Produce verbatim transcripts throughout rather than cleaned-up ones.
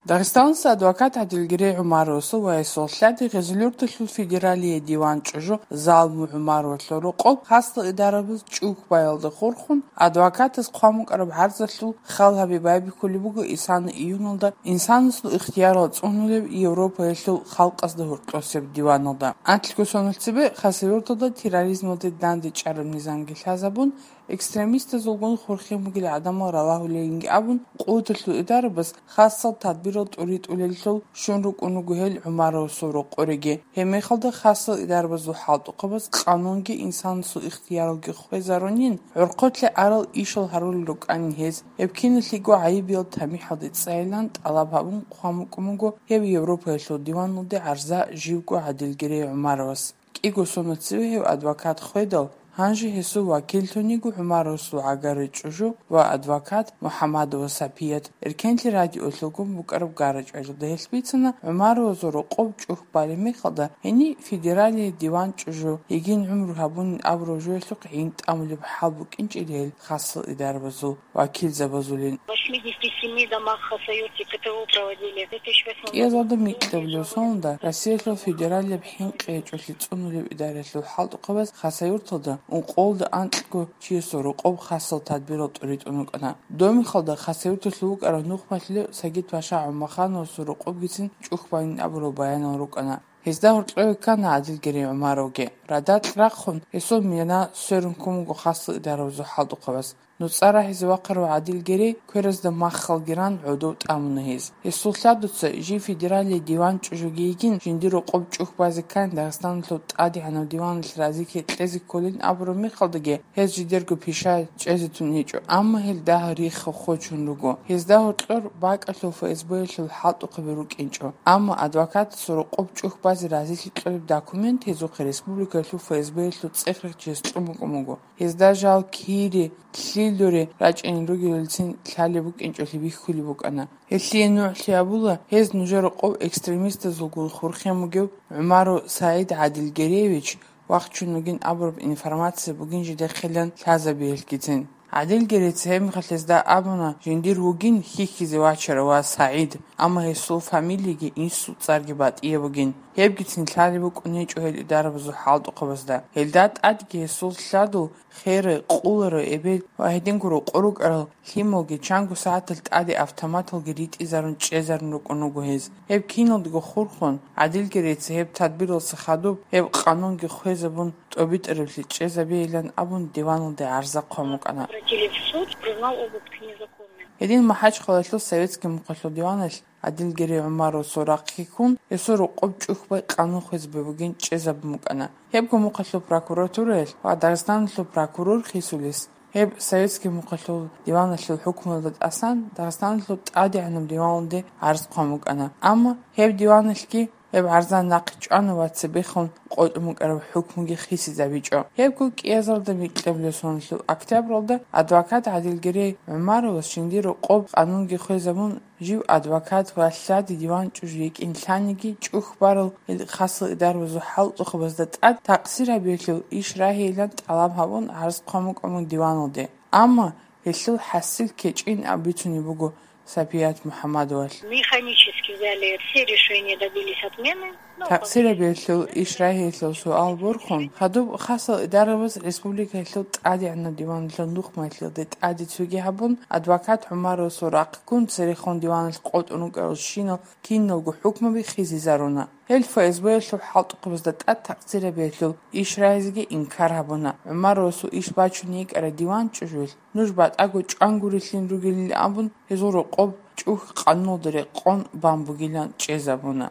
Дагъистаналъ адвокат ГӀадилгерей ГӀумаровасул ва гьесул лъади Гъезулъюрталъул федералие диван чӀужу Залму ГӀумаровалъул рокъоб хасал идарабаз чӀухь баялда хурхун, адвокатас хъван букӀараб гӀарзалъул хал гьаби байбихьулеб буго исана июналда инсанасул ихтиярал цӀунулеб Европаялъул халкъазда гьоркьосеб диваналда. Анкьго соналъ цебе Хасавюрталда терроризмалде дандечӀараб низамги лъазабун, экстремистазулгун хурхен бугел гӀадамал ралагьулейинги абун, къуваталъул идарабаз хасал тадбирал тӀуритӀулеллъул щун рукӀун руго гьел ГӀумаровасул рокъореги. Гьеб мехалда хасал идарабазул хӀалтӀухъабаз къанунги инсанасул ихтияралги хвезарунин, гӀорхъолъи арал ишал гьарулел рукӀанин гьез. Гьеб киналъего гӀайибиял тамихӀалде цӀайилан тӀалаб гьабун хъван букӀун буго гьеб Европаялъул диваналде гӀарза живго ГӀадилгерей ГӀумаровас. КӀиго соналъ цеве гьев адвокат хведал, гьанже гьесул вакиллъун йиго ГӀумаровасул гӀагаррей чӀужу ва адвокат МухӀамадова Сапият. Эркенлъи радиоялъулгун букӀараб гара-чӀвалалда гьелъ бицана, ГӀумаровазул рокъоб чӀухь балеб мехалда, гьениб федералие диван чӀужу, йигин гӀумру гьабунин абураб жоялъухъ гӀин тӀамулеб хӀал букӀинчӀила гьел хасал идарабазул вакилзабазулин. В восьмидесяти семи домах Хасавюрте КТО проводили. В две тысячи восьмом году. КӀиязалда микьабулев соналда Россиялъул федералияб хӀинкъи гьечӀолъи цӀунулеб идараялъул хӀалтӀухъабаз Хасавюрталда ункъоялда анкьго чиясул рокъоб хасал тадбирал тӀуритӀун рукӀана. Домихалда Хасавюрталъув вукӀарав нухмалъулев Сагид-паша ГӀумахановасул рокъобгицин чӀухь байин абурал баянал рукӀана. Гьезда гьоркьове ккана ГӀадилгерей ГӀумаровги. Радакь рахъун, гьесул мина сверун ккун буго хасал идарабазул хӀалтӀухъабаз. НуцӀа рагьизе вахъарав ГӀадилгерей кверазда маххалги ран гӀодов тӀамуна гьез. Гьесул лъадуца жив федералие диван чӀужуги йигин, жиндир рокъоб чӀухь базе ккани Дагъистаналъул тӀадегӀанав диваналъ разилъи кьезе кколин абураб мехалдаги, гьез жидерго пиша чӀезе тун гьечӀо, амма гьел дагьал рихха хочун руго. Гьезда гьоркьор бакӀалъул ФСБ-ялъул хӀалтӀухъаби рукӀинчӀо, амма адвокатасул рокъоб чӀухь базе разилъи кьолеб документ гьезухъе республикаялъул ФСБ-ялъул цӀех рахъ чияс кьун букӀун буго. Гьезда жал кири, лъилури рачӀинел ругелалцин лъалеб букӀинчӀолъи бихьулеб букӀана. Гьелъие нугӀлъи абула, гьез нужер рокъоб экстремистазулгун хурхен бугев ГӀумаров СагӀид ГӀадилгереевич вахчун вугин абураб информация бугин жидехъилан лъазабиялъгицин. ГӀадилгерейца гьеб мехалъ гьезда абуна, жиндир вугин хьихьизе вачарав ва СагӀид, амма гьесул фамилиги инсул цӀарги батӀияб бугин. Гьебгицин лъалеб букӀун гьечӀо гьел идарабазул хӀалтӀухъабазда. Гьелда тӀадги гьесул лъадул херай, къуларай эбел ва гьединго рокъор рукӀарал лъималги чанго сагӀаталъ тӀаде автоматалги ритӀизарун чӀезарун рукӀун руго гьез. Гьеб киналдаго хурхун, ГӀадилгерейца гьеб тадбиралдаса хадуб гьеб къанунги хвезабун, тӀобитӀарабли чӀезабейилан абун, диваналде гӀарза хъван букӀана. Обратили в суд, признал обыск незаконным. Гьедин МахӀачхъалаялъул советский мухъалъул диваналъ ГӀадилгерей ГӀумаровасул рахъги ккун, гьесул рокъоб чӀухь бай къанун хвезабе бугин чӀезабун букӀана. Гьебго мухъалъул прокуратураялъ ва Дагъистаналъул прокурор хисулес, гьеб советский мухъалъул диваналъул хӀукмуялда тӀасан Дагъистаналъул тӀадегӀанаб диваналде гӀарз хъван букӀана. Амма гьеб диваналъги гьеб гӀарза нахъе чӀвана ва цебехун къотӀун букӀараб хӀукмуги хисизабичӀо. Гьебго кӀиязалда микьабулеб соналъул октябралда адвокат ГӀадилгерей ГӀумаровас жиндир рокъоб къанунги хвезабун, жив адвокат ва лъади диван чӀужу йикӀин лъаниги, чӀухь барал хасал идарабазул хӀалтӀухъабазда тӀад такъсир гьабиялъул иш рагьейилан тӀалаб гьабун гӀарз хъван букӀун диваналде. Амма гьелъул хӀасил кечӀин абицунеб буго Сапият МухӀамадовалъ. Механически взяли все решения, добились отмены. Ну, Такъсир гьабиялъул иш рагьиялъул суал борхун, хадуб хасал идарабаз республикаялъул тӀадегӀанаб диваналъул нухмалъулде тӀаде цоги гьабун, адвокат ГӀумаровасул рахъ ккун церехун диваналъ къотӀун рукӀарал щинал киналго хӀукмуби хисизаруна. Гьел ФСБ-ялъул хӀалтӀухъабазда тӀад такъсир гьабиялъул иш рагьизеги инкар гьабуна. ГӀумаровасул иш бачун йикӀарай диван чӀужуялъ нуж батӀаго чӀван гурелъин ругелин абун, гьезул рокъоб чӀухь къануналда рекъон бан бугилан чӀезабуна.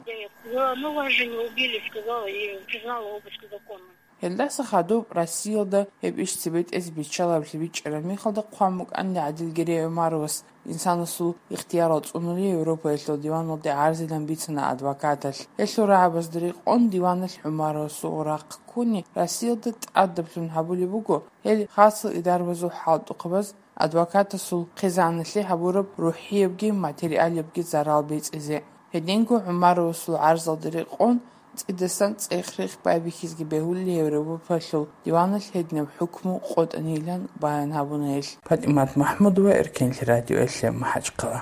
Я, ну, вас же не убили, сказала и признала обыск законным. Гьелдаса хадуб Россиялда гьеб иш цебетӀезе биччалаблъи бичӀчӀараб мехалда хъван букӀанила ГӀадилгерей ГӀумаровас инсанасул ихтиярал цӀунули Европаялъул диваналде гӀарзилан бицана адвокаталъ. Гьелъул рагӀабазда рекъон диваналъ ГӀумаровасул рахъ ккуни Россиялда тӀадаблъун гьабулеб буго, гьел хасал идарабазул хӀалтӀухъабаз адвокатасул хъизаналъе гьабураб рухӀиябги материалиябги зарал бецӀизе. Гьединго ГӀумаровасул гӀарзалда рекъон цӀидасан цӀех-рех байбихьизеги бегьулел Европаялъул диваналъ гьединаб хӀукму къотӀанилан баян гьабуна гьелъ. ПатӀимат МахӀмудова, Эркенлъи радиоялъе, МахӀачхъала.